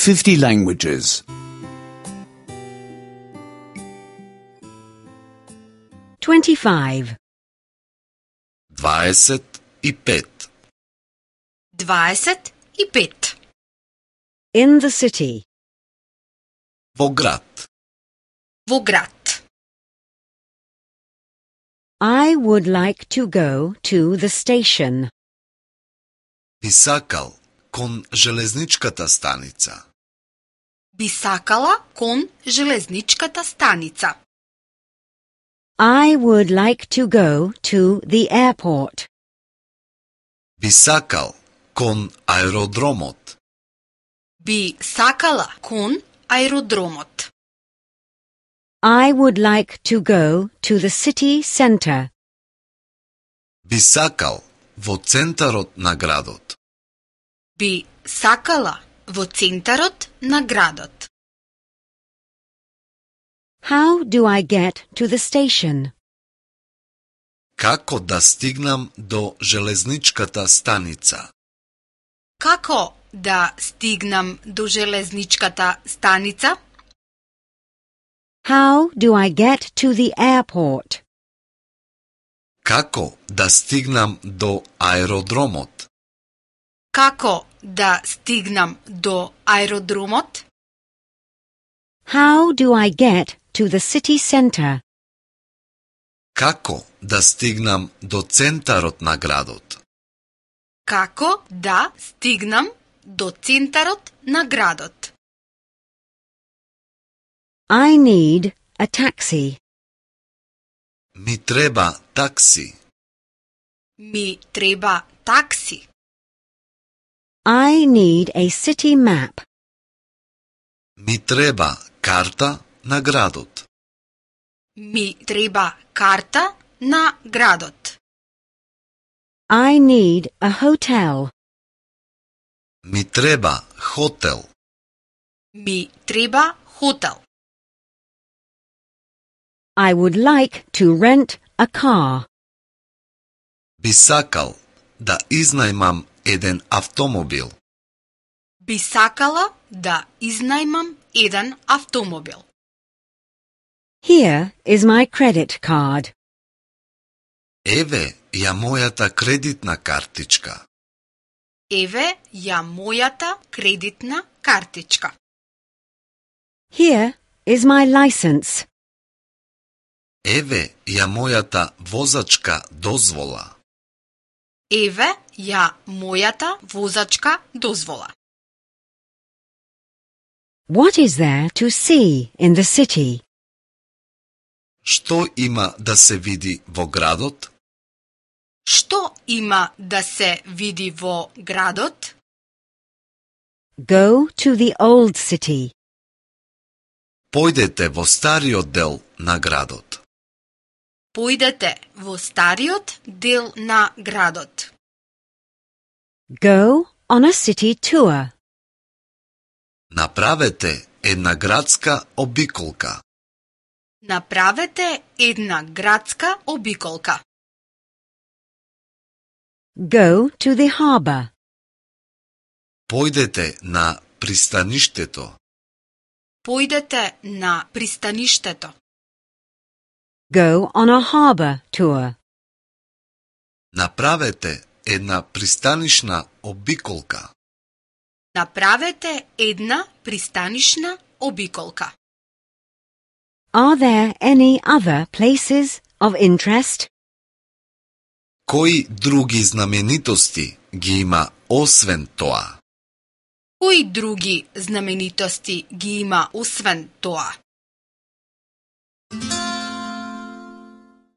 50 languages. 25. 25. 25. In the city. Во град. Во град. I would like to go to the station. Би сакал кон железничката станица. Би сакала кон железничката станица. I would like to go to the airport. Би сакал кон аеродромот. Би сакала кон аеродромот. I would like to go to the city center. Би сакал во центарот на градот. Би сакала во центарот на градот. How do I get to the station? Како да стигнам до железничката станица? Како да стигнам до железничката станица? How do I get to the airport? Како да стигнам до аеродромот? Како да стигнам до аеродромот? How do I get to the city center? Како да стигнам до центарот на градот? Како да стигнам до центарот на градот? I need a taxi. Ми треба такси. Ми треба такси. I need a city map. Ми треба карта на градот. Ми треба карта на градот. I need a hotel. Ми треба хотел. Ми треба хотел. I would like to rent a car. Би сакал да изнајмам еден автомобил. Би сакала да изнајмам еден автомобил. Here is my credit card. Еве ја мојата кредитна картичка. Еве ја мојата кредитна картичка. Here is my license. Еве ја мојата возачка дозвола. Еве ја мојата возачка дозвола. What is there to see in the city? Што има да се види во градот? Што има да се види во градот? Go to the old city. Појдете во стариот дел на градот. Појдете во стариот дел на градот. Go on a city tour. Направете една градска обиколка. Направете една градска обиколка. Go to the harbor. Појдете на пристаништето. Појдете на пристаништето. Go on a harbor tour. Направете една пристанишна обиколка. Направете една пристанишна обиколка. Are there any other places of interest? Кои други знаменитости ги има освен тоа? Кои други знаменитости ги има освен тоа?